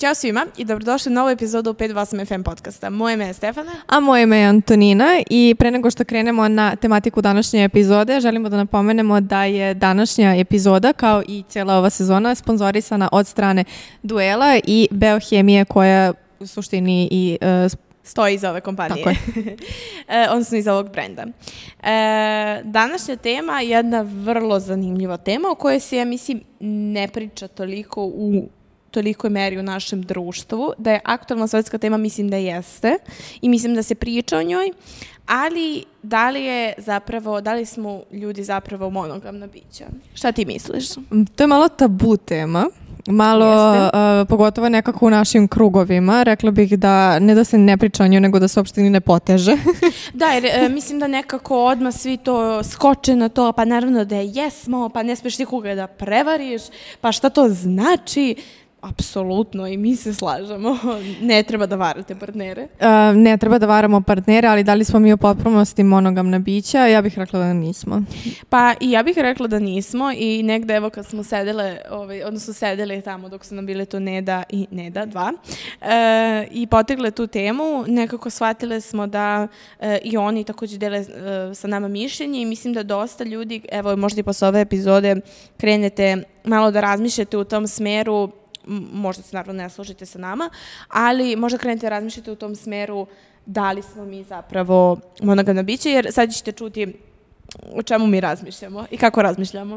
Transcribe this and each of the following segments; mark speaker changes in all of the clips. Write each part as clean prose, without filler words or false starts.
Speaker 1: Ćao svima i dobrodošli u novu epizodu 528 FM podcasta. Moje ime je Stefana.
Speaker 2: A moje ime je Antonina i pre nego što krenemo na tematiku današnje epizode, želimo da napomenemo da je današnja epizoda, kao i cijela ova sezona, sponzorisana od strane Duela i Beohemije, koja u suštini i
Speaker 1: stoji iza ove kompanije.
Speaker 2: Tako je.
Speaker 1: Odnosno iza ovog brenda. Današnja tema je jedna vrlo zanimljiva tema o kojoj se, ja mislim, ne priča toliko u tolikoj meri u našem društvu. Da je aktualna svetska tema, mislim da jeste. I mislim da se priča o njoj. Ali da li smo ljudi zapravo monogamna bića? Šta ti misliš?
Speaker 2: To je malo tabu tema. Pogotovo nekako u našim krugovima. Rekla bih da ne da se ne priča o njoj, nego da se uopšte ni ne poteže.
Speaker 1: Da, jer mislim da nekako odmah svi to skoče na to, pa naravno da jesmo, pa ne smiješ nikoga da prevariš, pa šta to znači? Apsolutno, i mi se slažemo. Ne treba da varate partnere.
Speaker 2: Ne treba da varamo partnere, ali da li smo mi u potpunosti monogamna bića? Ja bih rekla da nismo.
Speaker 1: Pa i ja bih rekla da nismo i negde evo kad smo sedeli tamo dok su nam bile tu Neda i Neda, dva, i potegle tu temu, nekako shvatile smo da i oni također dele sa nama mišljenje i mislim da dosta ljudi, evo možda i posle ove epizode krenete malo da razmišljate u tom smeru. Možda se naravno ne složite sa nama, ali možda krenete razmišljati u tom smeru da li smo mi zapravo monogamna bića, jer sad ćete čuti o čemu mi razmišljamo i kako razmišljamo.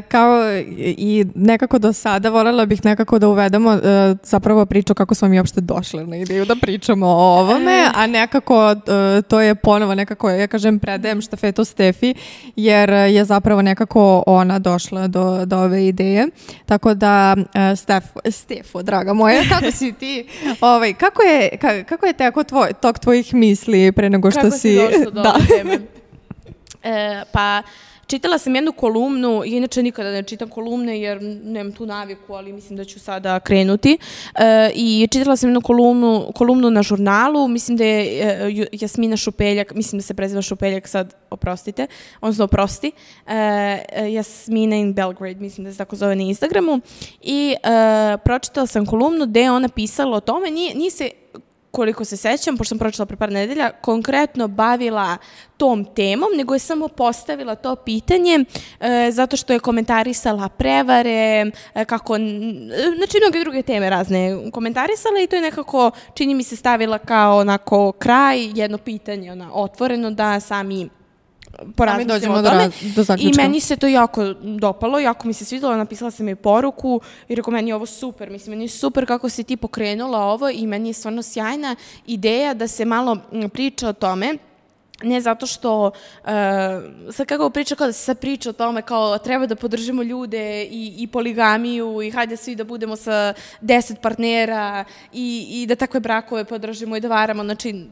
Speaker 2: Kao i nekako do sada voljela bih nekako da uvedemo zapravo priču kako smo mi uopšte došli na ideju da pričamo o ovome, a nekako to je ponovo nekako, ja kažem, predajem štafetu Stefi, jer je zapravo nekako ona došla do ove ideje. Tako da, Stefo, draga moja, kako si ti? Kako je teko tok tvojih misli pre nego što
Speaker 1: kako
Speaker 2: si...
Speaker 1: Kako si došla do ove teme? Pa čitala sam jednu kolumnu, inače nikada ne čitam kolumne jer nemam tu naviku, ali mislim da ću sada krenuti. I čitala sam jednu kolumnu na žurnalu, mislim da je Jasmina Šupeljak, mislim da se preziva Šupeljak sad, oprosti, Jasmina in Belgrade, mislim da se tako zove na Instagramu. I pročitala sam kolumnu gde je ona pisala o tome, nije se, koliko se sećam, pošto sam pročitala pre par nedelja, konkretno bavila tom temom, nego je samo postavila to pitanje zato što je komentarisala prevare, znači mnoge druge teme razne komentarisala i to je nekako, čini mi se, stavila kao onako kraj, jedno pitanje otvoreno da sami porazmislimo o tome. I meni se to jako dopalo, jako mi se svidjelo, napisala sam joj poruku i rekao, meni je ovo super, mislim, meni je super kako si ti pokrenula ovo i meni je stvarno sjajna ideja da se malo priča o tome. Ne zato što, sad kako priča, kao da se sad priča o tome, kao treba da podržimo ljude i poligamiju i hajde svi da budemo sa 10 partnera i da takve brakove podržimo i da varamo, znači,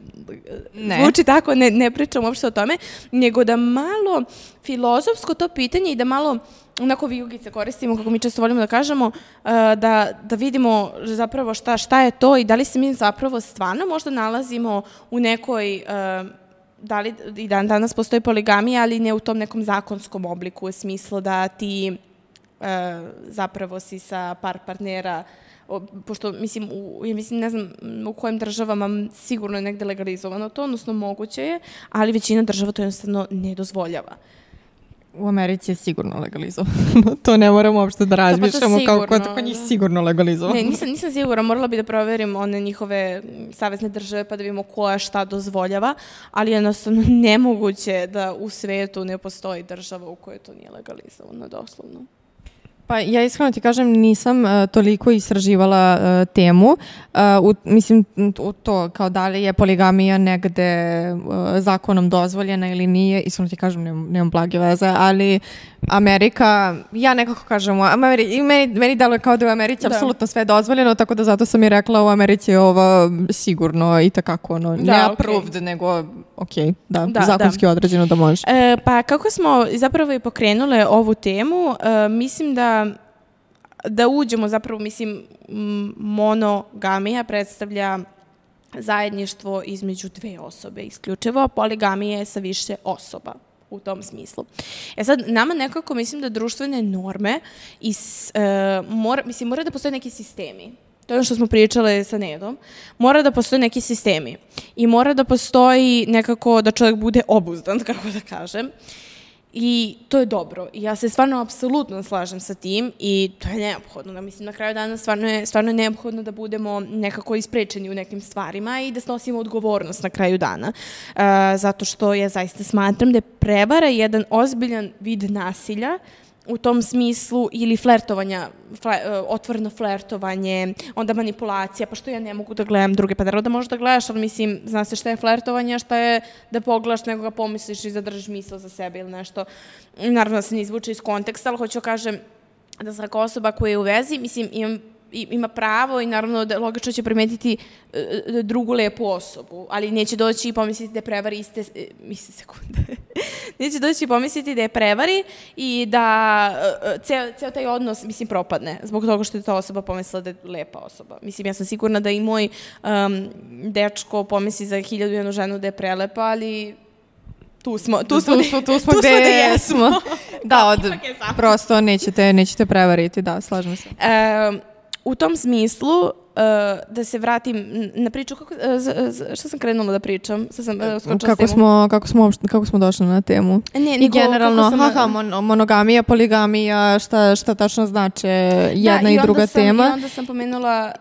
Speaker 1: zvuči tako, ne pričam uopšte o tome, nego da malo filozofsko to pitanje i da malo onako vijugice koristimo, kako mi često volimo da kažemo, da vidimo zapravo šta je to i da li se mi zapravo stvarno možda nalazimo u nekoj... da li i danas postoji poligamija, ali ne u tom nekom zakonskom obliku, u smislu da ti zapravo si sa par partnera, pošto mislim, ne znam u kojim državama sigurno je negde legalizovano to, odnosno moguće je, ali većina država to jednostavno ne dozvoljava.
Speaker 2: U Americi je sigurno legalizovano. To ne moramo uopšte da razmišljamo kako njih sigurno legalizovano.
Speaker 1: Ne, nisam sigurna, morala bi da proverim one njihove savezne države pa da vidimo koja šta dozvoljava, ali jednostavno nemoguće da u svetu ne postoji država u kojoj to nije legalizovano, doslovno.
Speaker 2: Pa ja iskreno ti kažem, nisam toliko istraživala temu. Mislim, u to kao da li je poligamija negde zakonom dozvoljena ili nije, iskreno ti kažem, nemam blage veze, ali Amerika, ja nekako kažem, meni deluje kao da je u Americi apsolutno sve dozvoljeno, tako da zato sam i rekla u Americi je ovo sigurno i takako ne approved, nego zakonski određeno da može.
Speaker 1: Pa kako smo zapravo i pokrenule ovu temu, mislim da uđemo zapravo, mislim, monogamija predstavlja zajedništvo između dve osobe isključivo, a poligamija je sa više osoba u tom smislu. Sad, nama nekako mislim da društvene norme mora da postoje neki sistemi. to je ono što smo pričale sa Nedom, mora da postoje neki sistemi i mora da postoji nekako da čovjek bude obuzdan, kako da kažem. I to je dobro. I ja se stvarno apsolutno slažem sa tim i to je neophodno. Mislim, na kraju dana stvarno je neophodno da budemo nekako isprečeni u nekim stvarima i da snosimo odgovornost na kraju dana. Zato što ja zaista smatram da je prevara jedan ozbiljan vid nasilja u tom smislu ili flertovanja, otvoreno flertovanje, onda manipulacija, pa što ja ne mogu da gledam druge, pa naravno da možeš da gledaš, ali mislim, zna se šta je flertovanje, a šta je da pogledaš nekoga, pomisliš i zadržiš misl za sebe ili nešto. Naravno da se ne izvuče iz konteksta, ali hoću kažem da svaka osoba koja je u vezi, mislim, ima pravo i naravno da logično će primetiti drugu lepu osobu, ali neće doći i pomisliti da je prevari neće doći i pomisliti da je prevari i da ceo taj odnos, mislim, propadne zbog toga što je ta osoba pomislila da je lepa osoba. Mislim, ja sam sigurna da i moj dečko pomisli za 1001 ženu da je prelepa, ali tu smo
Speaker 2: gde jesmo. Da, prosto nećete prevariti, da, slažem se.
Speaker 1: U tom smislu, da se vratim na priču, što sam krenula da pričam?
Speaker 2: Kako smo došli na temu?
Speaker 1: I
Speaker 2: generalno, monogamija, poligamija, šta tačno znače jedna i druga tema.
Speaker 1: I onda sam pomenula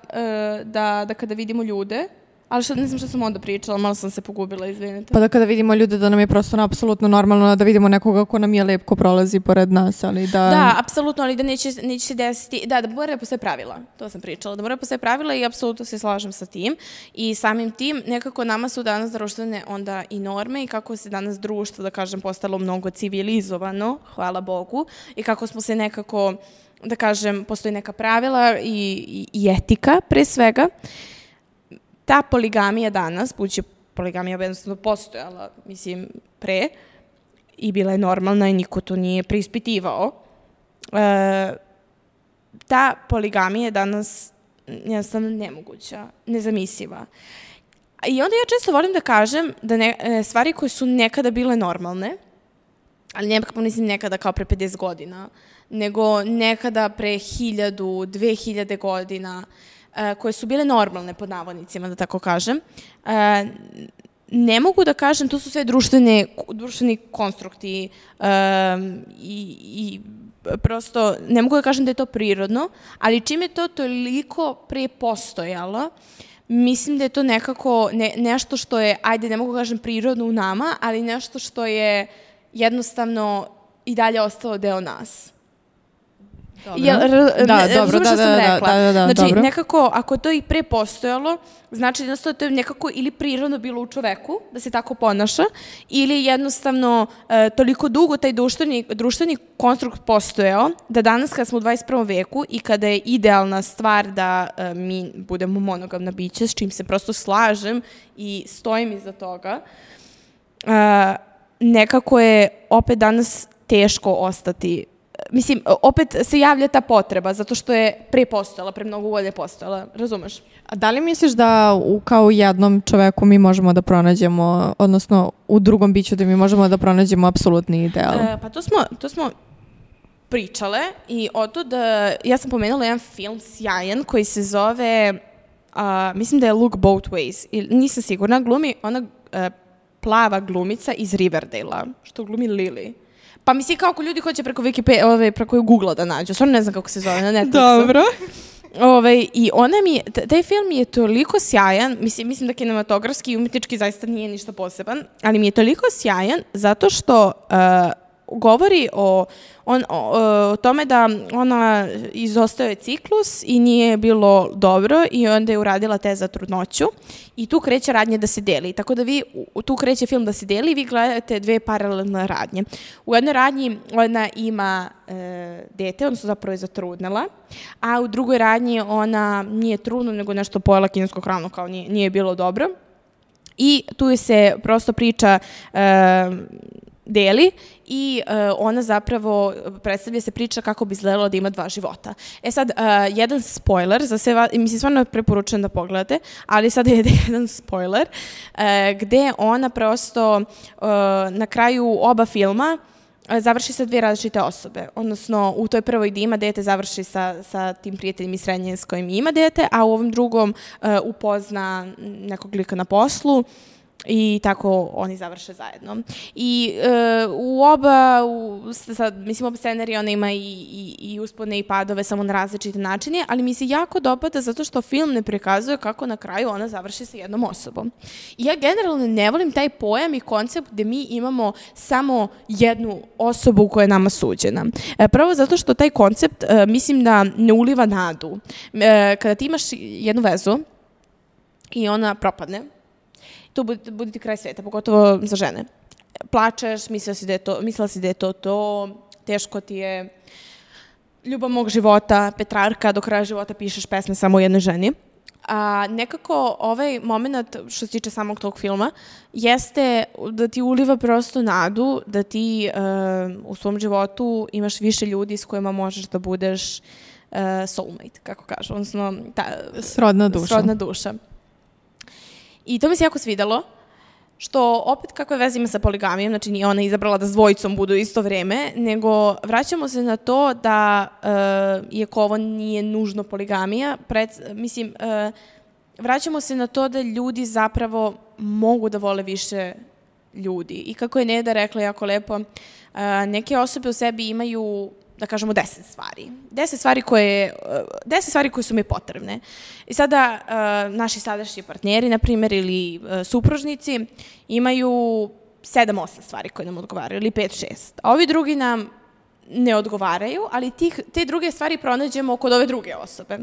Speaker 1: da kada vidimo ljude, ali ne znam što sam onda pričala, malo sam se pogubila, izvinite.
Speaker 2: Pa da kada vidimo ljude da nam je prosto apsolutno normalno da vidimo nekoga ko nam je lep, ko prolazi pored nas, ali da...
Speaker 1: Da, apsolutno, ali da neće se desiti... Da mora da postoje pravila, to sam pričala, da mora da postoje pravila i apsolutno se slažem sa tim. I samim tim, nekako nama su danas društvene onda i norme i kako se danas društvo, da kažem, postalo mnogo civilizovano, hvala Bogu, i kako smo se nekako, da kažem, postoji neka pravila i etika, pre svega. Ta poligamija danas, budući poligamija jednostavno postojala, mislim, pre, i bila je normalna i niko to nije preispitivao, ta poligamija je danas jednostavno nemoguća, nezamisliva. I onda ja često volim da kažem da stvari koje su nekada bile normalne, ali nekako mislim nekada kao pre 50 godina, nego nekada pre 1000, 2000 godina, koje su bile normalne, pod navodnicima, da tako kažem. Ne mogu da kažem, to su sve društveni konstrukti i prosto ne mogu da kažem da je to prirodno, ali čim je to toliko pre postojalo, mislim da je to nekako nešto što je, ajde, ne mogu da kažem prirodno u nama, ali nešto što je jednostavno i dalje ostalo deo nas.
Speaker 2: Dobro,
Speaker 1: znači, nekako, ako to i pre postojalo, znači jednostavno to je nekako ili prirodno bilo u čoveku, da se tako ponaša, ili jednostavno toliko dugo taj društveni konstrukt postojao, da danas kada smo u 21. veku i kada je idealna stvar da mi budemo monogamna bića, s čim se prosto slažem i stojim iza toga, nekako je opet danas teško ostati. Mislim, opet se javlja ta potreba, zato što je pre postojala, pre mnogo godina postojala, razumeš?
Speaker 2: A da li misliš da kao u jednom čoveku mi možemo da pronađemo, odnosno u drugom biću da mi možemo da pronađemo apsolutni ideal?
Speaker 1: Pa to smo pričale i otud, ja sam pomenula jedan film sjajan koji se zove, mislim da je Look Both Ways, nisam sigurna, glumi ona plava glumica iz Riverdale-a, što glumi Lily. Pa mislim kao ako ljudi hoće preko Google-a da nađu, stvarno ne znam kako se zove na Netflixu.
Speaker 2: Dobro.
Speaker 1: I taj film je toliko sjajan, mislim da kinematografski i umetnički zaista nije ništa poseban, ali mi je toliko sjajan zato što govori o tome da ona izostaje ciklus i nije bilo dobro i onda je uradila test za trudnoću i tu kreće radnje da se deli. Tako da tu kreće film da se deli i vi gledate dve paralelne radnje. U jednoj radnji ona ima dete, odnosno zapravo je zatrudnela, a u drugoj radnji ona nije trudna, nego nešto pojela kinesku hranu, kao nije bilo dobro. I tu se prosto priča deli i ona zapravo predstavlja se priča kako bi izgledalo da ima 2 života. Sad, jedan spoiler, za sve, mislim, stvarno preporučujem da pogledate, ali sad je jedan spoiler, gde ona prosto na kraju oba filma završi sa dve različite osobe. Odnosno, u toj prvoj gdje ima dete završi sa tim prijateljem iz srednje s kojim ima dete, a u ovom drugom upozna nekog lika na poslu i tako oni završe zajedno. I u oba, mislim, oba scenarija ona ima i uspone i padove samo na različite načine, ali mi se jako dopada zato što film ne prikazuje kako na kraju ona završi sa jednom osobom. I ja generalno ne volim taj pojam i koncept gde mi imamo samo jednu osobu koja je nama suđena. Prvo zato što taj koncept mislim da ne uliva nadu. Kada ti imaš jednu vezu i ona propadne, to bude ti kraj sveta, pogotovo za žene. Plačeš, mislila si da je to, teško ti je, ljubav mog života, Petrarka, do kraja života pišeš pesme samo o jednoj ženi. A nekako ovaj moment, što se tiče samog tog filma, jeste da ti uliva prosto nadu, da ti u svom životu imaš više ljudi s kojima možeš da budeš soulmate, kako kažu, odnosno
Speaker 2: srodna
Speaker 1: duša. I to mi se jako svidalo, što opet kakve veze ima sa poligamijom, znači nije ona izabrala da s dvojicom budu isto vreme, nego vraćamo se na to da, iako ovo nije nužno poligamija, vraćamo se na to da ljudi zapravo mogu da vole više ljudi. I kako je Neda rekla jako lepo, neke osobe u sebi imaju, da kažemo, 10 stvari. 10 stvari koje su mi potrebne. I sada naši sadašnji partneri, na primjer, ili supružnici, imaju 7-8 stvari koje nam odgovaraju, ili 5-6. A ovi drugi nam ne odgovaraju, ali te druge stvari pronađemo kod ove druge osobe.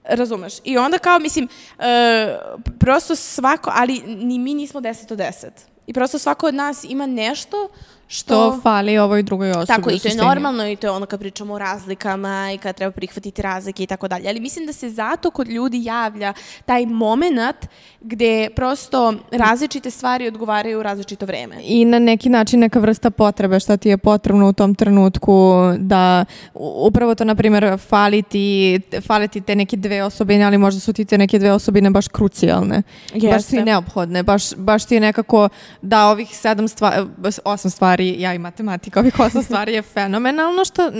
Speaker 1: Razumeš? I onda kao, mislim, prosto svako, ali ni mi nismo 10 od 10. I prosto svako od nas ima nešto što
Speaker 2: fali ovoj drugoj osobi.
Speaker 1: Tako, i to je normalno, i to je ono kad pričamo o razlikama i kad treba prihvatiti razlike i tako dalje. Ali mislim da se zato kod ljudi javlja taj moment gde prosto različite stvari odgovaraju u različito vreme.
Speaker 2: I na neki način neka vrsta potrebe šta ti je potrebno u tom trenutku, da upravo to, na primjer, fali ti te neke dve osobine, ali možda su ti te neke dve osobine baš krucijalne. Jeste. Baš su i neophodne. Baš ti je nekako da ovih 8 stvari, ja i matematika, ovih 8 stvari je fenomenalno što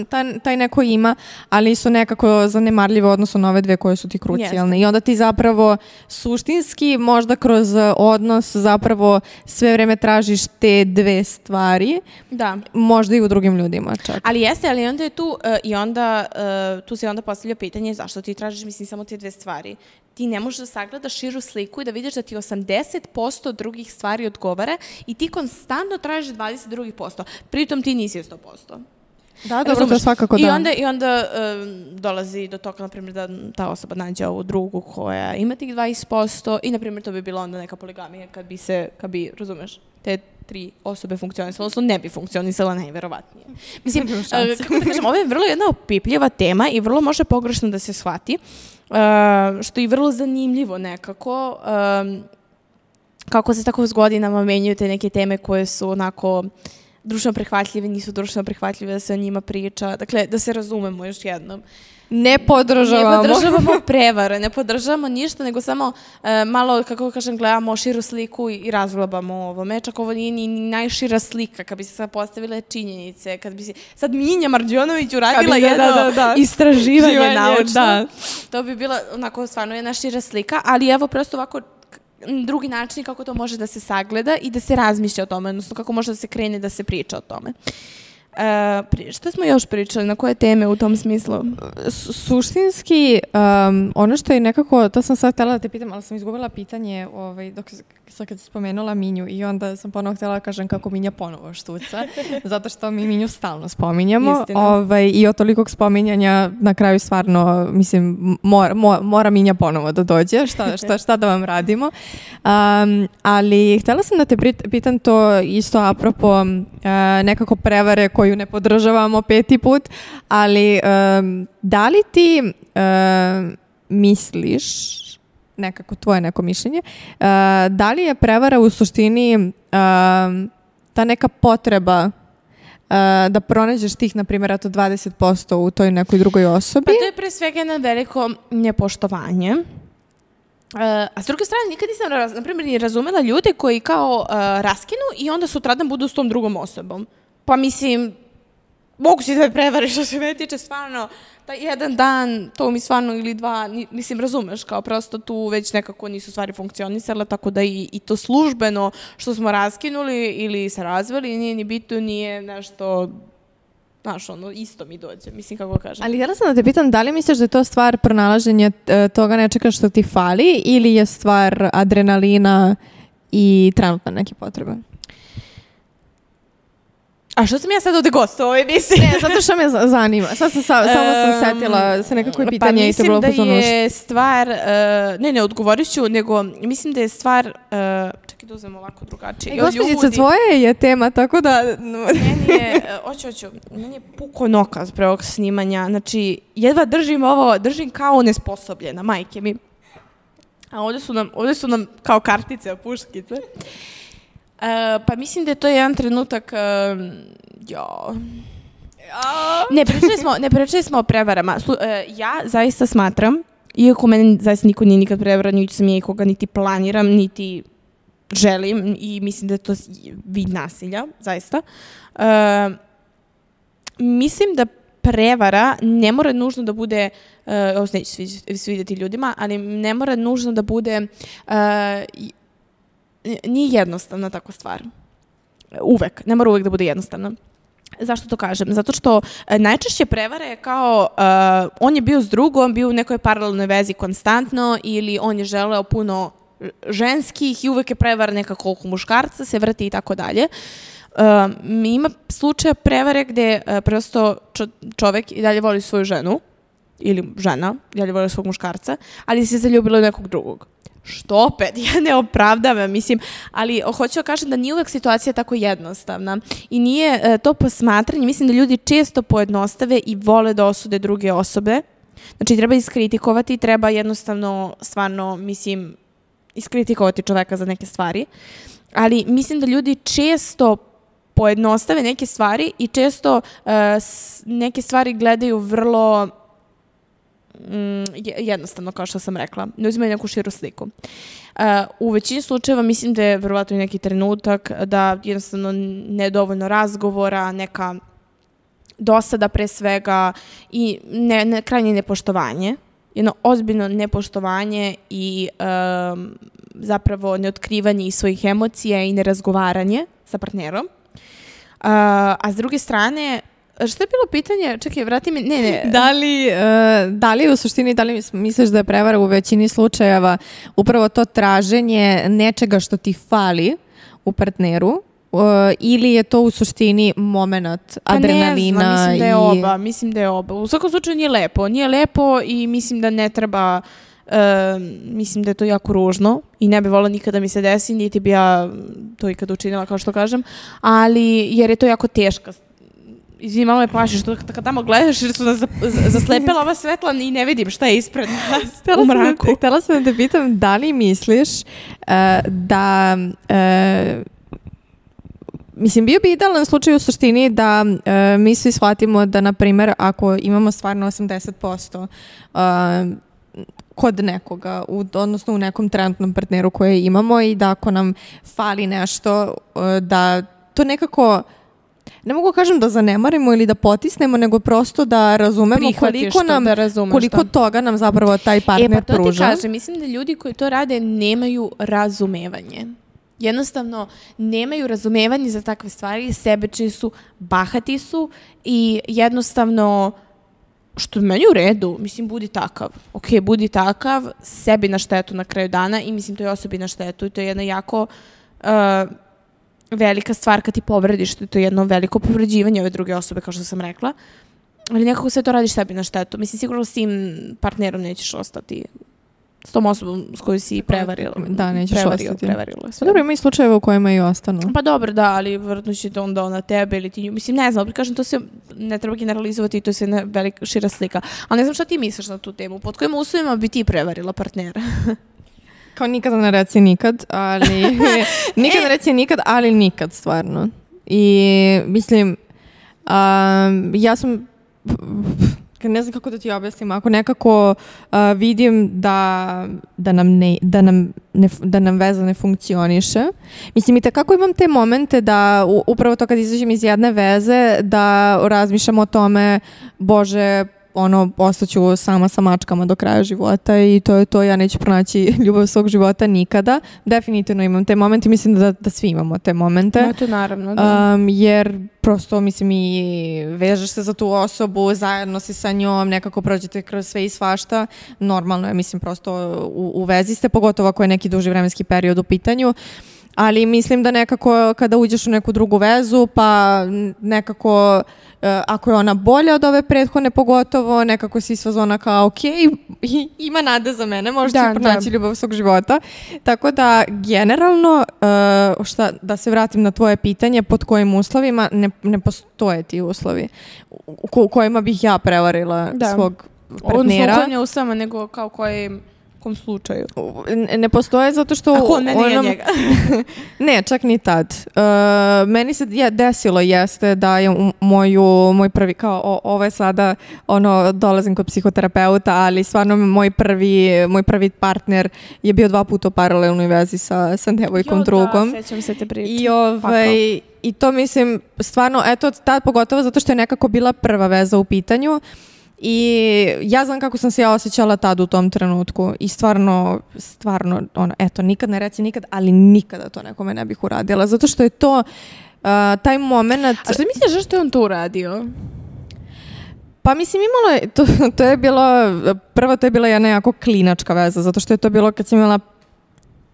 Speaker 2: taj neko ima, ali su nekako zanemarljive odnosno na ove dve koje su ti krucijalne. Jeste. I onda ti zapravo suštinski možda kroz odnos zapravo sve vreme tražiš te dve stvari. Da. Možda i u drugim ljudima čak.
Speaker 1: Ali jeste, ali onda je tu tu se onda postavlja pitanje zašto ti tražiš, mislim, samo te dve stvari. Ti ne možeš da sagledaš širu sliku i da vidiš da ti 80% drugih stvari odgovara i ti konstantno tražiš 22%. Pritom ti nisi 100%.
Speaker 2: Da, dobro, to svakako da.
Speaker 1: I onda dolazi do toga, na primjer, da ta osoba nađe ovu drugu koja ima tih 20% i, na primjer, to bi bila onda neka poligamija kad bi, razumeš, te 3 osobe funkcionisala, odnosno ne bi funkcionisala najverovatnije. Mislim, kako da kažem, ovo je vrlo jedna opipljiva tema i vrlo može pogrešno da se shvati, što je vrlo zanimljivo nekako, kako se tako s godinama menjaju te neke teme koje su onako društveno prihvatljive, nisu društveno prihvatljive, da se o njima priča. Dakle, da se razumemo još jednom.
Speaker 2: Ne podržavamo
Speaker 1: prevare, ne podržavamo ništa, nego samo malo, kako kažem, gledamo širu sliku i razglabamo ovome. Čak ovo nije ni najšira slika, kad bi se sad postavile činjenice, kad bi se sad Minja Marđonović uradila jedno istraživanje naučno. To bi bila onako stvarno jedna šira slika, ali evo prosto ovako drugi način kako to može da se sagleda i da se razmišlja o tome, odnosno kako može da se krene da se priča o tome. Što smo još pričali, na koje teme u tom smislu?
Speaker 2: Suštinski, ono što je nekako, to sam sad htjela da te pitam, ali sam izgubila pitanje dok kad si spomenula Minju i onda sam ponovo htjela da kažem kako Minja ponovo štuca, zato što mi Minju stalno spominjamo. I od tolikog spominjanja na kraju stvarno, mislim, mora Minja ponovo da dođe, šta da vam radimo. Ali htjela sam da te pitam to isto apropo nekako prevare koju ne podržavamo 5. put, ali da li ti misliš, nekako tvoje neko mišljenje, da li je prevara u suštini ta neka potreba da pronađeš tih, na primjer, 20% u toj nekoj drugoj osobi?
Speaker 1: Pa to je pre svega jedno veliko nepoštovanje. A s druge strane, nikad nisam, na primjer, ni razumela ljude koji kao raskinu i onda sutradan budu s tom drugom osobom. Pa mislim, mogu si da me prevariš što se me tiče, stvarno, taj jedan dan, to mi stvarno ili dva, mislim, razumeš, kao prosto tu već nekako nisu stvari funkcionisale, tako da i to službeno što smo raskinuli ili se razveli, nije ni bitno, nije nešto, znaš, ono, isto mi dođe, mislim, kako kažem.
Speaker 2: Ali htjela sam da te pitam, da li misliš da je to stvar pronalaženja toga nečega što ti fali ili je stvar adrenalina i trenutno neke potrebe?
Speaker 1: A što sam ja sad ovde gost u ovoj emisiji?
Speaker 2: Ne, zato što me zanima. Sad sam samo sam setila se nekako pitanje i to bilo
Speaker 1: mislim da je stvar, ne, odgovorit ću, nego mislim da je stvar, čekaj da uzmem ovako drugačije.
Speaker 2: Gospođica, tvoje je tema, tako da...
Speaker 1: Meni je, meni je puko nokaz pre ovog snimanja, znači jedva držim kao nesposobljena, majke mi. A ovde su nam kao kartice, puškice. Pa mislim da je to jedan trenutak, ne pričali smo o prevarama. Ja zaista smatram, iako mene zaista niko nije nikad prevarao, niti sam ja ikoga niti planiram, niti želim i mislim da je to vid nasilja, zaista. Mislim da prevara ne mora nužno da bude, ovo se neće svidjeti ljudima, ali ne mora nužno da bude... Nije jednostavna takva stvar. Uvek. Ne mora uvek da bude jednostavna. Zašto to kažem? Zato što najčešće prevara je kao on je bio s drugom, bio u nekoj paralelnoj vezi konstantno ili on je želeo puno ženskih i uvek je prevara nekako oko muškarca, se vrti i tako dalje. Ima slučaja prevare gde prosto čovek i dalje voli svoju ženu ili žena i dalje voli svog muškarca, ali se zaljubila u nekog drugog. Što opet, ja ne opravdavam, mislim, ali hoću da kažem da nije uvek situacija tako jednostavna i nije to posmatranje, mislim da ljudi često pojednostave i vole da osude druge osobe, znači treba iskritikovati, treba jednostavno, stvarno, mislim, iskritikovati čoveka za neke stvari, ali mislim da ljudi često pojednostave neke stvari i često neke stvari gledaju vrlo... jednostavno, kao što sam rekla. Ne uzimaju neku širu sliku. U većini slučajeva mislim da je verovatno i neki trenutak da jednostavno nedovoljno razgovora, neka dosada pre svega i krajnje nepoštovanje. Jedno ozbiljno nepoštovanje i zapravo neotkrivanje svojih emocija i nerazgovaranje sa partnerom. A s druge strane, što je bilo pitanje? Čekaj, vrati mi... Ne.
Speaker 2: Da li u suštini, da li misliš da je prevara u većini slučajeva upravo to traženje nečega što ti fali u partneru ili je to u suštini moment adrenalina?
Speaker 1: Pa ne znam, mislim da je oba. U svakom slučaju nije lepo i mislim da ne treba... mislim da je to jako ružno i ne bi volila nikada mi se desi, niti bi ja to ikada učinila, kao što kažem, ali jer je to jako teška. Izvini, malo me plaši što kad tamo gledaš jer su nas zaslepila ova svetla i ne vidim šta je ispred nas u mraku.
Speaker 2: Htjela sam da te pitam da li misliš da... Mislim, bio bi idealan slučaj u suštini da mi svi shvatimo da, na primjer, ako imamo stvarno 80% kod nekoga, odnosno u nekom trenutnom partneru koje imamo i da ako nam fali nešto, da to nekako... Ne mogu kažem da zanemarimo ili da potisnemo, nego prosto da razumemo koliko toga nam zapravo taj partner pruža.
Speaker 1: Pa to ti kažem, mislim da ljudi koji to rade nemaju razumevanje. Jednostavno, nemaju razumevanje za takve stvari, sebični su, bahati su i jednostavno, što meni u redu, mislim, budi takav. Ok, budi takav, sebi na štetu na kraju dana i mislim to je osobi na štetu i to je jedna jako... velika stvar kad ti povrediš, to je jedno veliko povređivanje ove druge osobe, kao što sam rekla. Ali nekako sve to radiš sebi na štetu. Mislim, sigurno s tim partnerom nećeš ostati, s tom osobom s koju si prevarila.
Speaker 2: Da, nećeš ostati. Pa dobro, ima i slučajeva u kojima i ostanu.
Speaker 1: Pa dobro, da, ali vjerojatno će to onda na tebe ili ti... Mislim, ne znam, kažem, to se ne treba generalizovati i to je jedna velika, šira slika. Ali ne znam šta ti misliš na tu temu. Pod kojim uslovima bi ti prevarila partnera?
Speaker 2: Kao nikada ne reci nikad, ali... nikad ne reci nikad, ali nikad, stvarno. I mislim, ja sam... ne znam kako da ti objasnim, ako nekako vidim da nam veza ne funkcioniše. Mislim, i takako imam te momente da upravo to kad izađem iz jedne veze, da razmišljam o tome, Bože, ostaću sama sa mačkama do kraja života i to je to, ja neću pronaći ljubav svog života nikada. Definitivno imam te momente, mislim da svi imamo te momente.
Speaker 1: No, to naravno, da.
Speaker 2: Jer prosto, mislim, i vežeš se za tu osobu, zajedno si sa njom, nekako prođete kroz sve i svašta. Normalno je, mislim, prosto u vezi ste, pogotovo ako je neki duži vremenski period u pitanju. Ali mislim da nekako kada uđeš u neku drugu vezu, pa nekako ako je ona bolja od ove prethodne pogotovo, nekako si sva zona kao ok, ima nade za mene, možda ću pronaći ljubav svog života. Tako da generalno, da se vratim na tvoje pitanje, pod kojim uslovima ne postoje ti uslovi u kojima bih ja prevarila svog partnera.
Speaker 1: Odnosno, ne usama, nego kao kom slučaju?
Speaker 2: Ne postoje zato što...
Speaker 1: Ako ne nije njega?
Speaker 2: Ne, čak ni tad. Meni se desilo jeste da je moj prvi, kao ovo je sada, dolazim kod psihoterapeuta, ali stvarno moj prvi partner je bio 2 puta u paralelnoj vezi sa devojkom drugom.
Speaker 1: Da, sećam se te priče.
Speaker 2: I to mislim, stvarno, eto, tad pogotovo zato što je nekako bila prva veza u pitanju. I ja znam kako sam se ja osjećala tad u tom trenutku i stvarno, eto, nikad ne reci nikad, ali nikada to nekome ne bih uradila, zato što je to taj moment...
Speaker 1: A što misliš zašto je on to uradio?
Speaker 2: Pa mislim, imalo je, to je bilo, prvo to je bila jedna jako klinačka veza, zato što je to bilo kad sam imala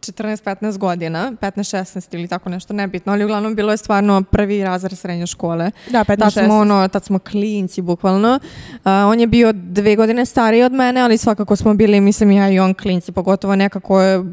Speaker 2: 14-15 godina, 15-16 ili tako nešto, nebitno, ali uglavnom bilo je stvarno prvi razred srednje škole.
Speaker 1: Da, 15-16.
Speaker 2: Tad smo klinci, bukvalno. On je bio 2 godine stariji od mene, ali svakako smo bili, mislim, ja i on klinci, pogotovo nekako je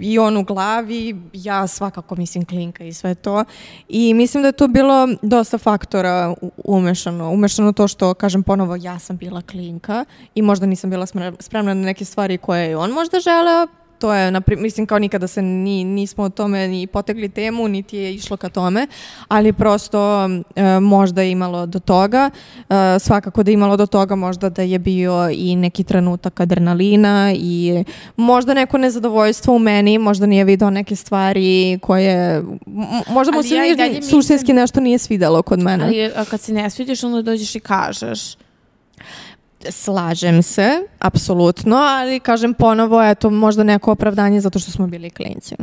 Speaker 2: i on u glavi, ja svakako, mislim, klinka i sve to. I mislim da je tu bilo dosta faktora umešano to što, kažem ponovo, ja sam bila klinka i možda nisam bila spremna na neke stvari koje je on možda želeo. To je, mislim, kao nikada se nismo o tome ni potegli temu, niti je išlo ka tome, ali prosto možda je imalo do toga. Svakako da je imalo do toga možda da je bio i neki trenutak adrenalina i možda neko nezadovoljstvo u meni, možda nije video neke stvari koje, možda mu se suštinski nešto nije svidelo kod mene.
Speaker 1: Ali kad se ne svidiš, onda dođeš i kažeš.
Speaker 2: Slažem se, apsolutno, ali kažem ponovo, eto, možda neko opravdanje zato što smo bili klinci.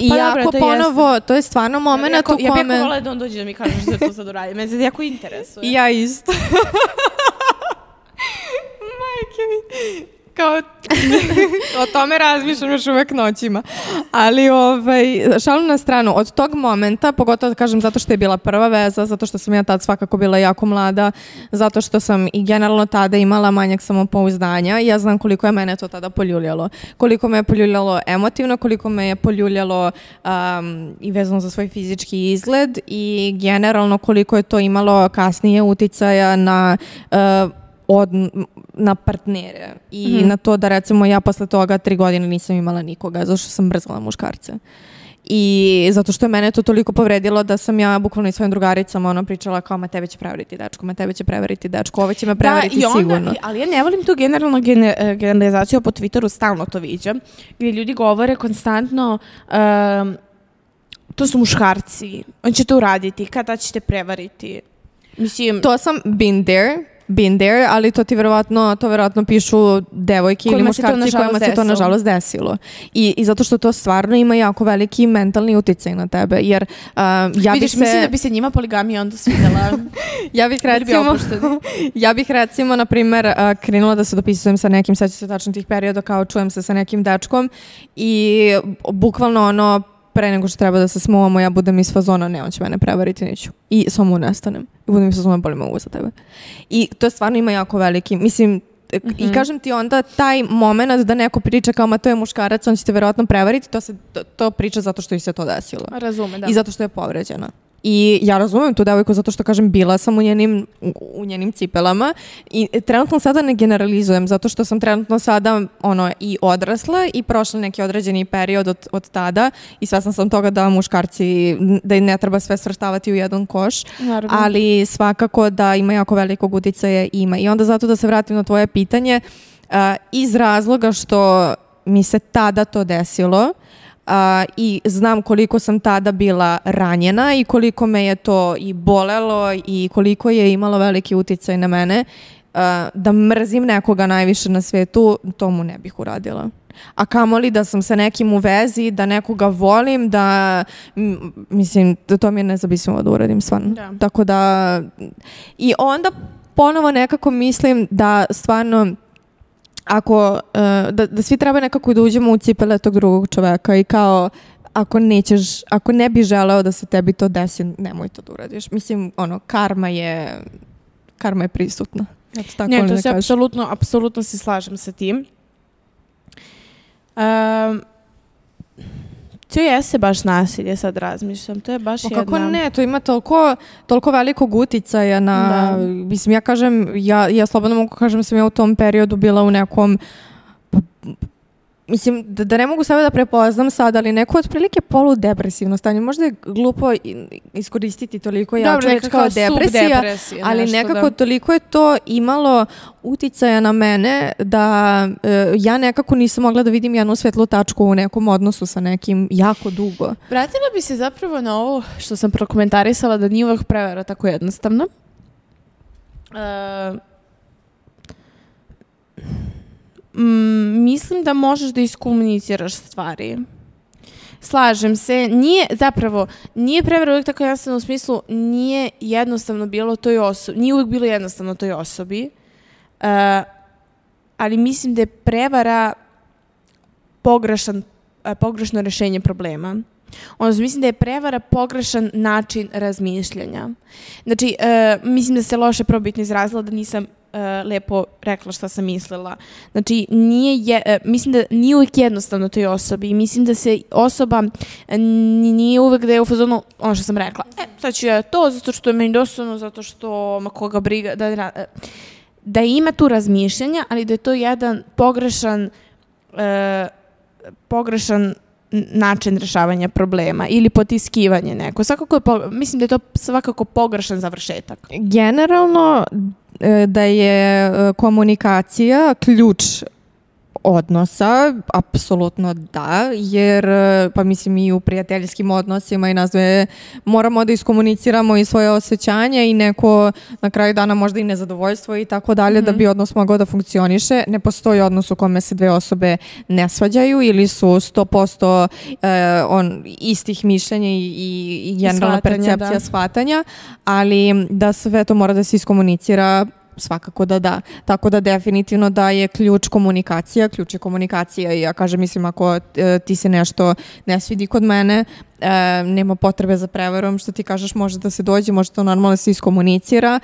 Speaker 2: Iako ponovo, to je stvarno moment u kome...
Speaker 1: Ja bih jako volila da on dođe da mi kažeš da to sad uradim. Mene se jako interesuje.
Speaker 2: Ja isto. Majke mi. Kao, o tome razmišljam još uvek noćima. Ali šalu na stranu, od tog momenta, pogotovo da kažem zato što je bila prva veza, zato što sam ja tad svakako bila jako mlada, zato što sam i generalno tada imala manjak samopouzdanja i ja znam koliko je mene to tada poljuljalo. Koliko me je poljuljalo emotivno, koliko me je poljuljalo i vezano za svoj fizički izgled i generalno koliko je to imalo kasnije uticaja na partnere i na to da recimo ja posle toga 3 godine nisam imala nikoga zato što sam mrzela muškarce i zato što je mene to toliko povredilo da sam ja bukvalno i svojim drugaricama pričala kao ma tebe će prevariti dečko, ovo će me prevariti sigurno.
Speaker 1: Ali ja ne volim tu generalno generalizaciju po Twitteru, stalno to viđam, gdje ljudi govore konstantno to su muškarci, on će to uraditi, kada ćete prevariti. Mislim,
Speaker 2: to sam been there, ali to ti verovatno pišu devojke ili muškarci kojima se to nažalost desilo. I zato što to stvarno ima jako veliki mentalni uticaj na tebe, jer
Speaker 1: mislim da bi se njima poligamija onda svidela.
Speaker 2: Ja bih recimo, na primjer, krenula da se dopisujem sa nekim, sećam se tačno tih perioda, kao čujem se sa nekim dečkom i bukvalno pre nego što treba da se smuvamo, ja budem iz fazona, ne, on će mene prevariti, neću. I samo nestanem. I budem iz fazona, boli me uvo za tebe. I to stvarno ima jako veliki, mislim, i kažem ti onda taj moment da neko priča kao, ma to je muškarac, on će te verovatno prevariti, to priča zato što ih se to desilo.
Speaker 1: Razume, da.
Speaker 2: I zato što je povređena. I ja razumem tu devojku zato što kažem bila sam u njenim cipelama i trenutno sada ne generalizujem zato što sam trenutno sada i odrasla i prošla neki određeni period od tada i svesna sam toga da muškarci, da ne treba sve svrstavati u jedan koš,
Speaker 1: Naravno.
Speaker 2: ali svakako da ima jako velikog uticaja ima. I onda zato da se vratim na tvoje pitanje, iz razloga što mi se tada to desilo, i znam koliko sam tada bila ranjena i koliko me je to i bolelo i koliko je imalo veliki uticaj na mene, da mrzim nekoga najviše na svetu, to mu ne bih uradila. A kamoli da sam sa nekim u vezi, da nekoga volim, da mislim, to mi je nezamislivo da uradim stvarno.
Speaker 1: Da.
Speaker 2: Tako da i onda ponovo nekako mislim da stvarno ako, da svi treba nekako da uđemo u cipele tog drugog čoveka i kao ako ne bi želeo da se tebi to desi, nemoj to da uradiš. Mislim, karma je prisutna. Tako
Speaker 1: ne, to se apsolutno se slažem sa tim. To jeste baš nasilje, sad razmišljam. To je baš jedna...
Speaker 2: Kako ne, to ima toliko velikog uticaja na... Mislim, ja kažem, ja slobodno mogu kažem sam ja u tom periodu bila u nekom... Mislim, da ne mogu sebe da prepoznam sad, ali neko otprilike poludepresivno stanje. Možda je glupo iskoristiti toliko jaču reč kao depresija, ali nekako toliko je to imalo uticaja na mene da ja nekako nisam mogla da vidim jednu svetlu tačku u nekom odnosu sa nekim jako dugo.
Speaker 1: Vratila bi se zapravo na ovo što sam prokomentarisala da nije uvek prevara tako jednostavno. Mislim da možeš da iskomuniciraš stvari. Slažem se. Nije prevara uvijek tako jednostavno u smislu nije jednostavno bilo toj osobi. Nije uvijek bilo jednostavno toj osobi. Ali mislim da je prevara pogrešno rešenje problema. Mislim da je prevara pogrešan način razmišljanja. Znači, mislim da se loše probitno izrazila da nisam lepo rekla šta sam mislila. Znači, mislim da nije uvijek jednostavno toj osobi i mislim da se osoba nije uvijek da je u fazonu ono što sam rekla. Sad ću ja to zato što je meni dosadno, zato što ma koga briga, da ima tu razmišljanja, ali da je to jedan pogrešan način rešavanja problema ili potiskivanje neko. Mislim da je to svakako pogrešan završetak.
Speaker 2: Generalno da je komunikacija ključ odnosa, apsolutno da, jer pa mislim i u prijateljskim odnosima i nas dve moramo da iskomuniciramo i svoje osjećanja i neko na kraju dana možda i nezadovoljstvo i tako dalje da bi odnos mogao da funkcioniše. Ne postoji odnos u kome se dve osobe ne svađaju ili su 100% istih mišljenja i generalna percepcija shvatanja, ali da sve to mora da se iskomunicira svakako da. Tako da definitivno da je ključ je komunikacija i ja kažem, mislim, ako ti se nešto ne svidi kod mene, nema potrebe za prevarom, što ti kažeš, može da se dođe, može to normalno se iskomunicira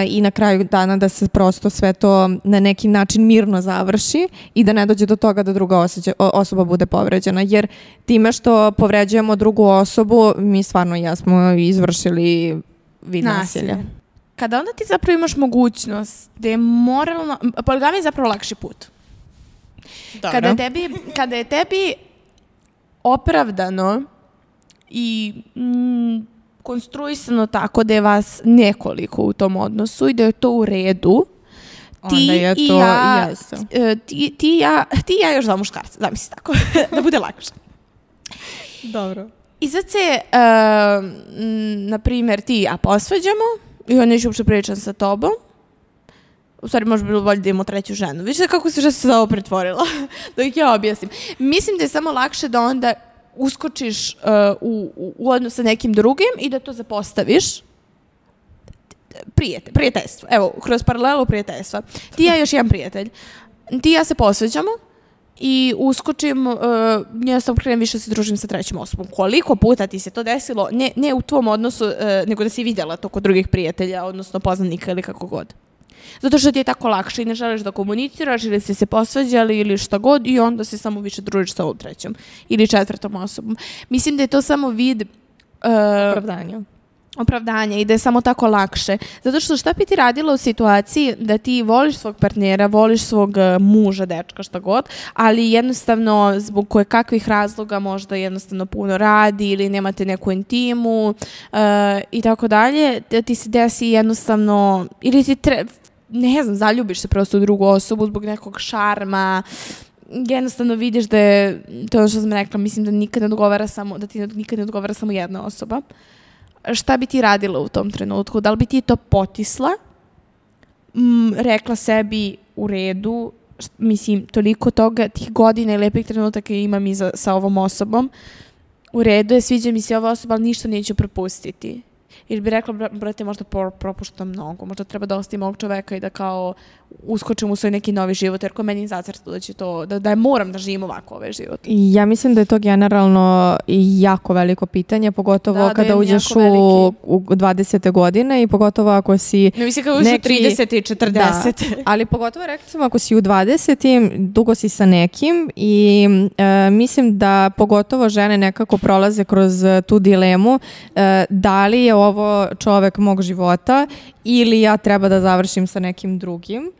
Speaker 2: i na kraju dana da se prosto sve to na neki način mirno završi i da ne dođe do toga da druga osoba bude povređena, jer time što povređujemo drugu osobu, mi stvarno jesmo izvršili vid nasilja.
Speaker 1: Kada onda ti zapravo imaš mogućnost da je moralno... Poligamija je zapravo lakši put. Kada je tebi opravdano i konstruisano tako da je vas nekoliko u tom odnosu i da je to u redu, ti i ja još dva muškarca, zamisli tako, da bude lakše.
Speaker 2: Dobro.
Speaker 1: I sad se, na primjer, ti i ja posvađamo, i on neće uopće pričam sa tobom. U stvari, možda bilo bolje da imamo treću ženu. Viš kako se za ovo pretvorila? Da ih ja objasnim. Mislim da je samo lakše da onda uskočiš u odnos sa nekim drugim i da to zapostaviš. Prijateljstvo. Evo, kroz paralelu prijateljstva. Ti i ja još jedan prijatelj. Ti i ja se posveđamo i uskočim, ja sam krenem više se družim sa trećim osobom. Koliko puta ti se to desilo, ne u tvom odnosu, nego da si vidjela to kod drugih prijatelja, odnosno poznanika ili kako god. Zato što ti je tako lakše i ne želiš da komuniciraš ili si se posvađali ili šta god i onda se samo više družiš sa ovom trećom ili četvrtom osobom. Mislim da je to samo vid...
Speaker 2: opravdanja.
Speaker 1: opravdanja i da je samo tako lakše. Zato što šta bi ti radila u situaciji da ti voliš svog partnera, voliš svog muža, dečka, šta god, ali jednostavno zbog koje kakvih razloga možda jednostavno puno radi ili nemate neku intimu i tako dalje, da ti se desi jednostavno, ili ti ne znam, zaljubiš se prosto u drugu osobu zbog nekog šarma, jednostavno vidiš da je, to je ono što sam rekla, mislim da nikad ne odgovara samo, da ti nikad ne odgovara samo jedna osoba. Šta bi ti radila u tom trenutku? Da li bi ti to potisla? Rekla sebi u redu, mislim, toliko toga, tih godina i lepih trenutaka imam i sa ovom osobom. U redu je, sviđa mi se ova osoba, ali ništa neću propustiti. Ili bi rekla, brate, možda propuštam mnogo, možda treba da ostavim ovog čoveka i da kao uskočim u svoj neki novi život, jer ko meni zacrta da će to, da moram da živim ovako ovaj život.
Speaker 2: Ja mislim da je to generalno jako veliko pitanje, pogotovo kada uđeš u 20. godine i pogotovo ako si
Speaker 1: ne mislim kada uđeš u 30. i 40.
Speaker 2: Da, ali pogotovo rekli smo ako si u 20. dugo si sa nekim i mislim da pogotovo žene nekako prolaze kroz tu dilemu da li je ovo čovek mog života ili ja treba da završim sa nekim drugim.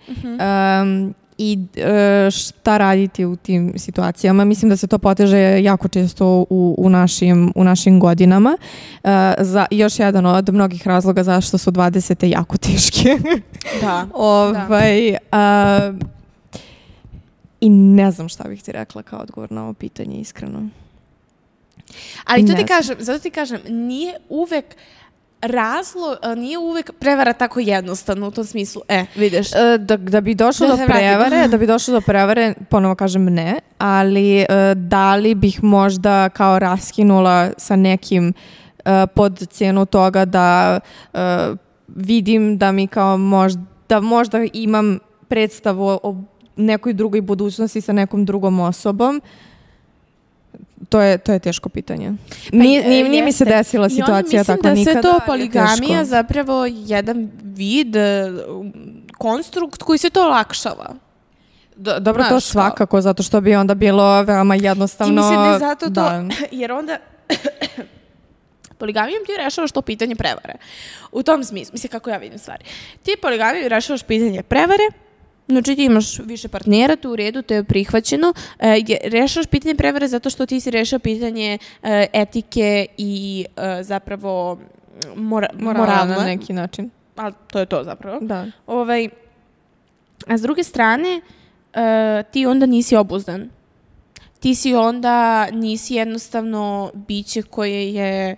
Speaker 2: I šta raditi u tim situacijama. Mislim da se to poteže jako često u našim godinama. Još jedan od mnogih razloga zašto su 20. jako teške.
Speaker 1: Da.
Speaker 2: I ne znam šta bih ti rekla kao odgovor na ovo pitanje, iskreno.
Speaker 1: Ali zato ti kažem, nije uvek nije uvek prevara tako jednostavno u tom smislu. Vidiš.
Speaker 2: Da bi došlo do prevare, ponovo kažem ne, ali da li bih možda kao raskinula sa nekim pod cijenu toga da vidim da mi kao možda imam predstavu o nekoj drugoj budućnosti sa nekom drugom osobom. To je teško pitanje. Nije mi se desila situacija tako nikada.
Speaker 1: Mislim da sve to poligamija zapravo jedan vid, konstrukt koji se to olakšava.
Speaker 2: Dobro, to svakako, zato što bi onda bilo veoma jednostavno.
Speaker 1: I mislim da je zato to, jer onda poligamijom ti rešavaš to pitanje prevare. U tom smislu, mislim kako ja vidim stvari. Ti poligamijom rešavaš pitanje prevare, znači ti imaš više partnera, tu u redu, to je prihvaćeno. Rešavaš pitanje prevare zato što ti si rešao pitanje etike i zapravo moralna
Speaker 2: na neki način.
Speaker 1: Ali to je to zapravo.
Speaker 2: Da.
Speaker 1: A s druge strane, ti onda nisi obuzdan. Ti si onda, nisi jednostavno biće koje je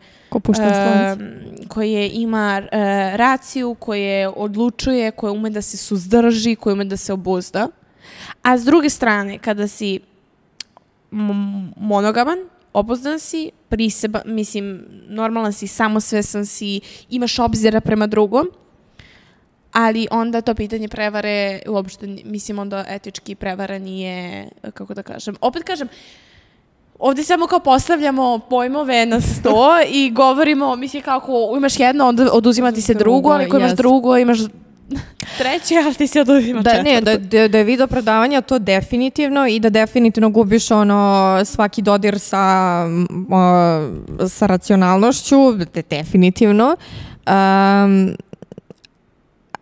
Speaker 1: koje ima raciju, koje odlučuje, koje ume da se suzdrži, koje ume da se obuzda. A s druge strane, kada si monogaman, obuzdan si, priseban, mislim, normalan si, samosvesan si, imaš obzira prema drugom, ali onda to pitanje prevare, uopšte, mislim, onda etički prevara nije, kako da kažem, opet kažem, ovdje samo kao postavljamo pojmove na sto i govorimo, mislim, kako imaš jedno, onda oduzima ti se drugo, ali ako imaš drugo, imaš treće, ali ti se oduzima četvrto.
Speaker 2: Da je vid opravdavanja to definitivno i da definitivno gubiš svaki dodir sa racionalnošću, definitivno.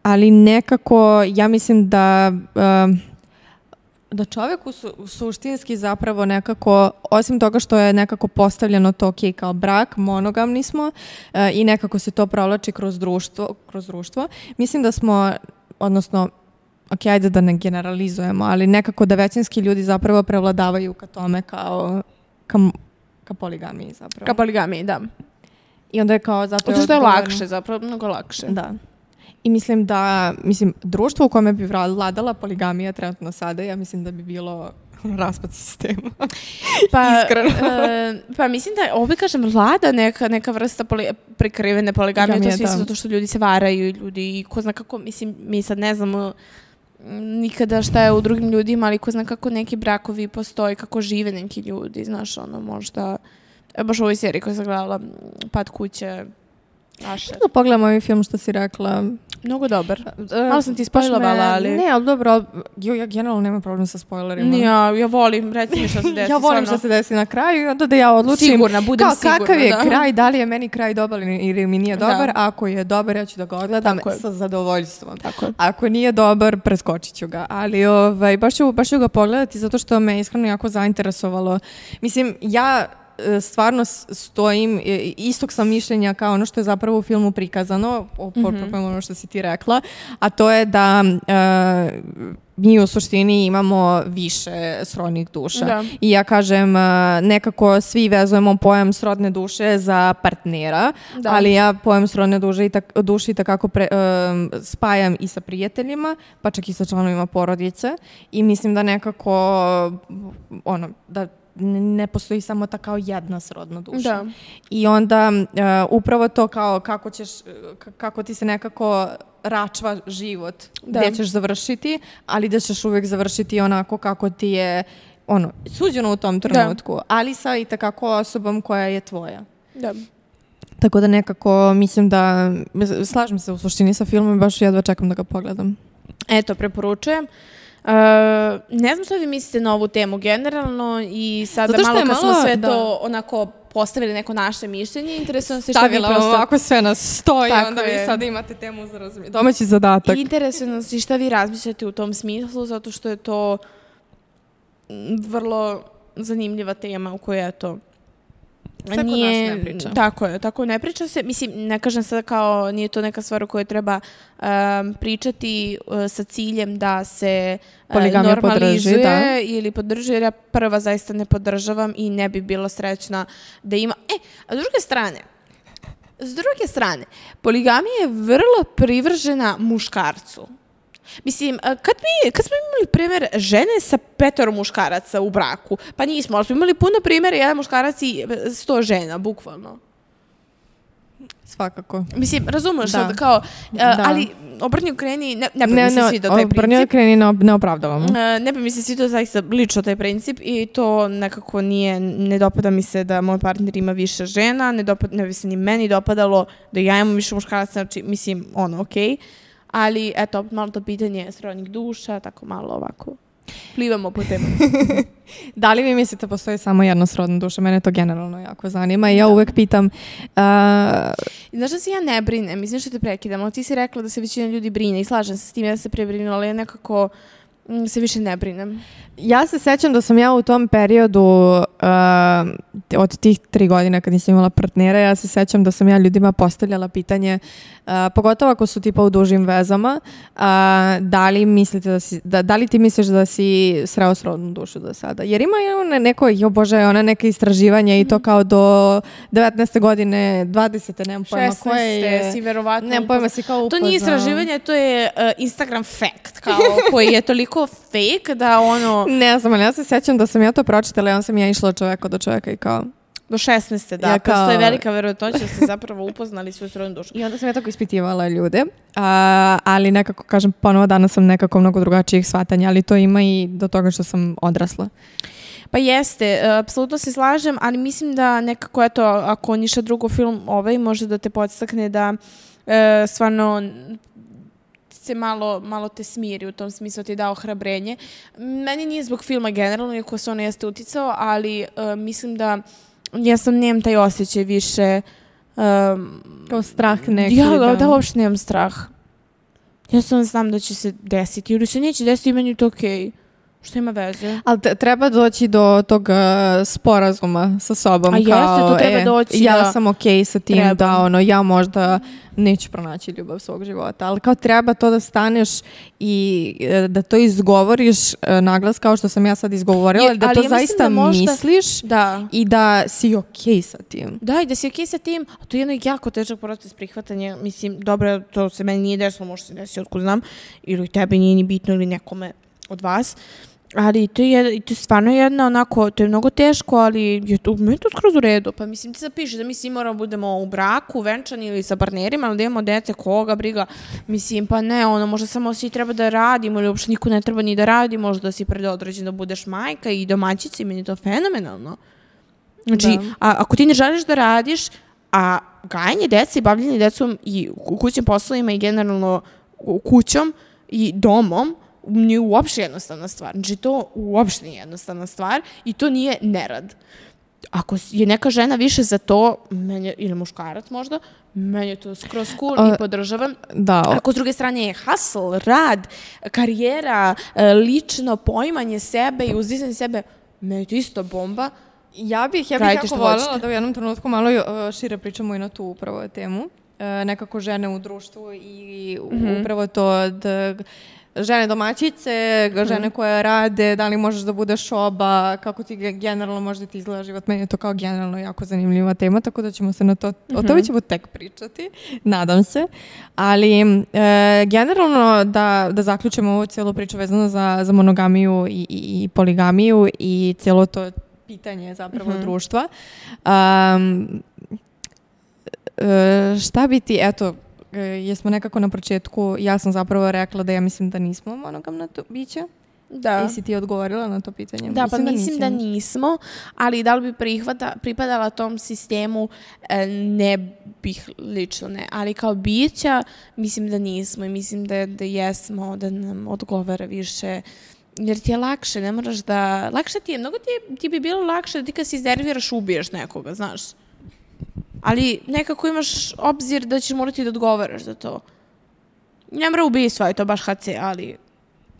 Speaker 2: Ali nekako, ja mislim da čovjek suštinski zapravo nekako, osim toga što je nekako postavljeno to kao brak, monogamni smo i nekako se to provlači kroz društvo. Mislim da smo, odnosno, ajde da ne generalizujemo, ali nekako da većinski ljudi zapravo prevladavaju ka tome ka poligamiji zapravo.
Speaker 1: Ka poligamiji, da.
Speaker 2: I onda je kao zato
Speaker 1: što je lakše, zapravo mnogo lakše.
Speaker 2: Da. I mislim društvo u kome bi vladala poligamija trenutno sada, ja mislim da bi bilo raspad sistema. Iskreno.
Speaker 1: Pa mislim da ovdje kažem vlada neka vrsta prekrivene poligamije, to svi zato što ljudi se varaju i ko zna kako, mislim, mi sad ne znamo nikada šta je u drugim ljudima, ali ko zna kako neki brakovi postoji, kako žive neki ljudi, znaš, možda, baš u ovoj seriji koja sam gledala, Pad kuće,
Speaker 2: Da pogledamo ovaj film što si rekla.
Speaker 1: Mnogo dobar. Malo sam ti spojlovala, ali...
Speaker 2: Ne, ali dobro, ja generalno nemam problem sa spojlerima.
Speaker 1: Ja volim, reci mi šta se desi.
Speaker 2: Ja volim šta se desi na kraju i onda da ja odlučim
Speaker 1: sigurna, budem sigurna,
Speaker 2: kakav je kraj, da li je meni kraj dobar ili mi nije dobar. Ako je dobar, ja ću da ga odgledam sa zadovoljstvom. Ako nije dobar, preskočit ću ga. Ali baš ću ga pogledati zato što me iskreno jako zainteresovalo. Mislim, ja stvarno stojim, istog sam mišljenja kao ono što je zapravo u filmu prikazano, ono što si ti rekla, a to je da mi u suštini imamo više srodnih duša. Da. I ja kažem, nekako svi vezujemo pojam srodne duše za partnera, ali ja pojam srodne duše i takako spajam i sa prijateljima, pa čak i sa članovima porodice i mislim da nekako da ne postoji samo ta kao jedna srodna duša. Da. I onda upravo to kao kako ti se nekako račva život gdje ćeš završiti, ali da ćeš uvijek završiti onako kako ti je suđeno u tom trenutku, ali sa i takako osobom koja je tvoja. Da. Tako da nekako mislim da slažem se u suštini sa filmom i baš jedva čekam da ga pogledam.
Speaker 1: Eto, preporučujem. Ne znam što vi mislite na ovu temu generalno i sada malo kad smo sve to onako postavili neko naše mišljenje, interesuje nas što vi prosto...
Speaker 2: ovako sve nas stoji, onda vi sada imate temu za domaći zadatak.
Speaker 1: Interesuje nas i šta vi razmišljate u tom smislu, zato što je to vrlo zanimljiva tema u kojoj je to...
Speaker 2: Sve kod nas ne priča.
Speaker 1: Tako ne priča se. Mislim, ne kažem sada kao nije to neka stvar o kojoj treba pričati sa ciljem da se normalizuje ili podrži, jer ja prva zaista ne podržavam i ne bi bila srećna da ima... A s druge strane, poligamija je vrlo privržena muškarcu. Mislim, kad smo imali primjer žene sa 5 muškaraca u braku, pa nismo, ali smo imali puno primjera, jedan muškarac i 100 žena, bukvalno.
Speaker 2: Svakako.
Speaker 1: Mislim, razumeš sad kao, ali obrni okreni, ne bi mi se svidio taj princip.
Speaker 2: Obrni okreni ne opravdavam.
Speaker 1: Ne bi mi se svidio zaista lično taj princip i to nekako ne dopada mi se da moj partner ima više žena, ne bi se ni meni dopadalo da ja imam više muškaraca, znači, mislim, okej. Ali, eto, malo to pitanje srodnih duša, tako malo ovako plivamo po temu.
Speaker 2: Da li vi mislite postoji samo jedna srodna duša? Mene to generalno jako zanima i ja uvek pitam...
Speaker 1: Znaš da se ja ne brinem, mislim što te prekidam, ali ti si rekla da se većina ljudi brine i slažem se s tim, ja se prebrinula, ali ja nekako se više ne brinem.
Speaker 2: Ja se sećam da sam ja u tom periodu od tih 3 godine kad nisam imala partnera, ja se sećam da sam ja ljudima postavljala pitanje, pogotovo ako su tipa u dužim vezama, da li ti misliš da si sreo srodnu dušu do sada? Jer ima neka istraživanja i to kao do 19. godine, 20. nemam pojma koje je.
Speaker 1: 16. si verovatno
Speaker 2: nemam pojma si kao upoznao.
Speaker 1: To nije istraživanje, to je Instagram fact, kao koji je toliko fake da
Speaker 2: Ne znam, ali ja se sjećam da sam ja to pročitala i on sam ja išla od čoveka do čoveka i kao...
Speaker 1: Do 16. da, postoji velika verovatnoća da ste zapravo upoznali svoju srodnu dušu.
Speaker 2: I onda sam ja tako ispitivala ljude, ali nekako, kažem, ponovo danas sam nekako mnogo drugačijih shvatanja, ali to ima i do toga što sam odrasla.
Speaker 1: Pa jeste, apsolutno se slažem, ali mislim da nekako, eto, ako ništa drugo film može da te podstakne da stvarno... se malo te smiri, u tom smislu ti je dao ohrabrenje. Meni nije zbog filma generalno, iako se ono jeste uticao, ali mislim da ja sam nemam taj osjećaj više...
Speaker 2: kao strah neki.
Speaker 1: Da uopšte nemam strah. Ja sam znam da će se desiti, ili se neće desiti i meni je to okej. Što ima veze?
Speaker 2: Ali treba doći do tog sporazuma sa sobom.
Speaker 1: A jeste, to treba doći.
Speaker 2: Ja sam okej sa tim da ja možda neću pronaći ljubav svog života. Ali kao treba to da staneš i da to izgovoriš naglas kao što sam ja sad izgovorila. Da to zaista misliš i da si okej sa tim.
Speaker 1: Da, i da si okej sa tim. A to je jedno jako težak proces prihvatanja. Mislim, dobro, to se meni nije desilo, možda se desi otkud znam. Ili tebi nije ni bitno ili nekome od vas. Ali to je stvarno jedna onako, to je mnogo teško, ali meni je to skroz u redu. Pa mislim, ti sad pišeš da mi svi moramo budemo u braku, venčani ili sa partnerima, ali da imamo dece, koga briga. Mislim, pa ne, možda samo svi treba da radimo ili uopšte niko ne treba ni da radi, možda da si predodređen da budeš majka i domaćica i meni je to fenomenalno. Znači, ako ti ne želiš da radiš, A gajanje dece i bavljanje decom i kućnim poslovima i generalno kućom i domom nije uopšte jednostavna stvar. Znači, to uopšte nije jednostavna stvar i to nije nerad. Ako je neka žena više za to, ili muškarac možda, meni je to skroz cool i podržavam.
Speaker 2: Da.
Speaker 1: Ako s druge strane je hustle, rad, karijera, lično poimanje sebe i uzdizanje sebe, meni je to isto bomba.
Speaker 2: Ja bih jako voljela da u jednom trenutku malo šire pričamo i na tu upravo temu. Nekako žene u društvu i upravo to da žene domaćice, žene koje rade, da li možeš da budeš oba, kako ti generalno možda ti izgleda život. Meni je to kao generalno jako zanimljiva tema, tako da ćemo se na to, o tome ćemo tek pričati, nadam se. Ali generalno da zaključimo ovu cijelu priču vezano za monogamiju i poligamiju i cijelo to pitanje zapravo društva. Šta bi ti, eto, jesmo nekako na početku, ja sam zapravo rekla da ja mislim da nismo monogamna bića. Da. Jesi ti odgovorila na to pitanje?
Speaker 1: Da, mislim da nismo, ali da li bi pripadala tom sistemu, ne bih lično ne, ali kao bića mislim da nismo i mislim da jesmo, da nam odgovara više, jer ti je lakše, ne moraš da, lakše ti je, mnogo ti bi bilo lakše da ti kad se iznerviraš ubiješ nekoga, znaš. Ali nekako imaš obzir da ćeš morati da odgovaraš za to. Ne mora ubijstva, je to baš HC, ali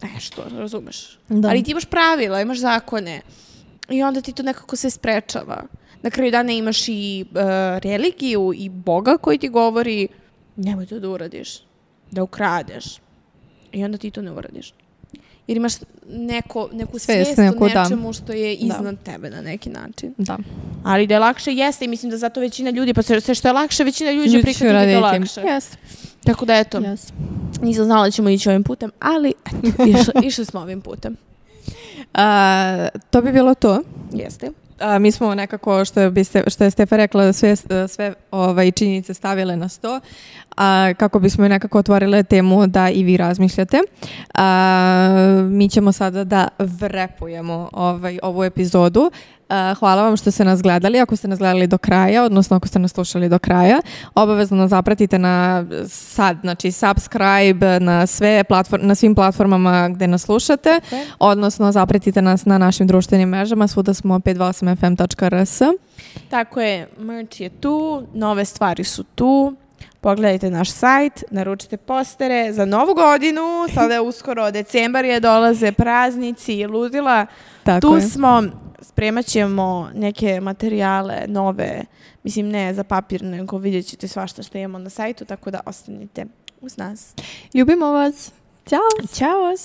Speaker 1: nešto, razumeš. Da. Ali ti imaš pravila, imaš zakone i onda ti to nekako se sprečava. Na kraju dana imaš i religiju i Boga koji ti govori nemoj to da uradiš, da ukradeš. I onda ti to ne uradiš. Jer imaš neku svijest o nečemu što je iznad tebe na neki način.
Speaker 2: Da.
Speaker 1: Ali da je lakše jeste i mislim da zato većina ljudi, pa sve što je lakše, većina ljudi će prihvatiti da je lakše.
Speaker 2: Yes.
Speaker 1: Tako da eto, nisam znala da ćemo ići ovim putem, ali eto, išli smo ovim putem.
Speaker 2: To bi bilo to.
Speaker 1: Jeste.
Speaker 2: Mi smo nekako, što je Stefa rekla, sve činjenice stavile na sto, kako bismo nekako otvorile temu da i vi razmišljate. Mi ćemo sada da vrepujemo ovu epizodu. Hvala vam što ste nas gledali. Ako ste nas gledali do kraja, odnosno ako ste nas slušali do kraja, obavezno nas zapratite znači subscribe na svim platformama gde nas slušate, odnosno zapratite nas na našim društvenim mrežama, svuda smo 528fm.rs.
Speaker 1: Tako je, merch je tu, nove stvari su tu. Pogledajte naš sajt, naručite postere za novu godinu, sada je uskoro decembar je, dolaze praznici i ludila. Tu smo, spremat ćemo neke materijale nove, mislim ne za papir, nego vidjet ćete svašta što imamo na sajtu, tako da ostanite uz nas.
Speaker 2: Ljubimo vas. Ćao.
Speaker 1: Ćao.